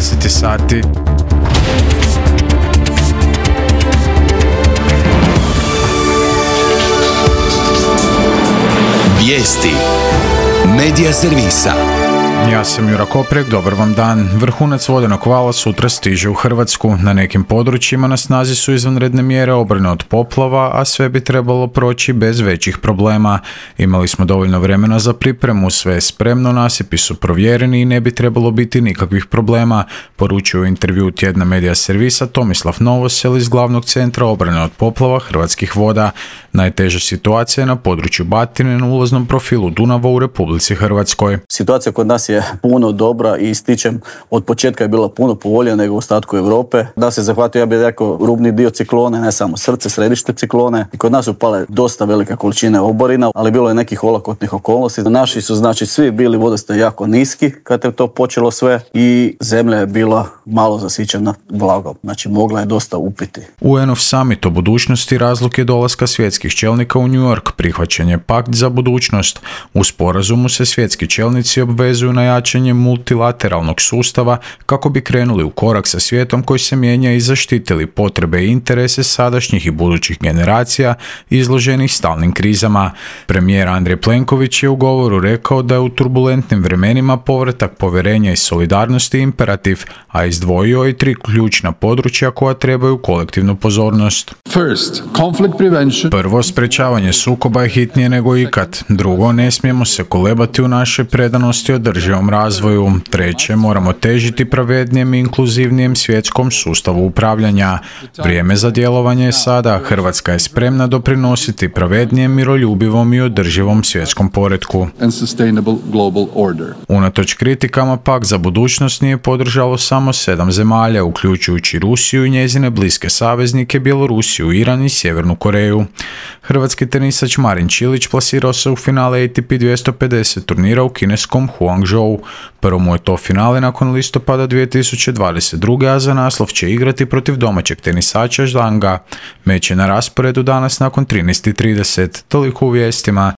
10 sati. Vijesti Medija servisa. Ja sam Jura Koprek, dobar vam dan. Vrhunac vodenog vala sutra stiže u Hrvatsku. Na nekim područjima na snazi su izvanredne mjere obrane od poplava, a sve bi trebalo proći bez većih problema. Imali smo dovoljno vremena za pripremu, sve je spremno, nasipi su provjereni i ne bi trebalo biti nikakvih problema, poručuju u intervju tjedna Medija servisa Tomislav Novosel iz glavnog centra obrane od poplava Hrvatskih voda. Najteža situacija je na području Batine na ulaznom profilu Dunava u Republici Hrvatskoj. Situacija kod nas je puno dobra i ističem, od početka je bila puno povoljnija nego u ostatku Europe. Da se zahvatio, ja bih rekao, rubni dio ciklone, ne samo srce, središte ciklone. I kod nas su pale dosta velike količine oborina, ali bilo je nekih olakotnih okolnosti. Naši su, znači, svi bili vodostaj jako niski kad je to počelo sve i zemlja je bila malo zasićena vlagom. Znači, mogla je dosta upiti. UN-ov summit o budućnosti razlog je dolaska svjetskih čelnika u New York, prihvaćen je pakt za budućnost. U sporazumu se svjetski čelnici obvezuju na jačanje multilateralnog sustava kako bi krenuli u korak sa svijetom koji se mijenja i zaštitili potrebe i interese sadašnjih i budućih generacija izloženih stalnim krizama. Premijer Andrej Plenković je u govoru rekao da je u turbulentnim vremenima povratak povjerenja i solidarnosti imperativ, a izdvojio i 3 ključna područja koja trebaju kolektivnu pozornost. Prvo, sprečavanje sukoba je hitnije nego ikad. Drugo, ne smijemo se kolebati u našoj predanosti održivom razvoju. Treće, moramo težiti pravednijem i inkluzivnijem svjetskom sustavu upravljanja. Vrijeme za djelovanje je sada. Hrvatska je spremna doprinositi pravednijem, miroljubivom i održivom svjetskom poretku. Unatoč kritikama, pakt za budućnost nije podržalo samo 7 zemalja, uključujući Rusiju i njezine bliske saveznike, Bjelorusiju, Iran i Sjevernu Koreju. Hrvatski tenisač Marin Čilić plasirao se u finale ATP 250 turnira u kineskom Guangzhou. Prvo mu je to finale nakon listopada 2022. a za naslov će igrati protiv domaćeg tenisača Zhanga. Meč je na rasporedu danas nakon 13:30. Toliko u vijestima.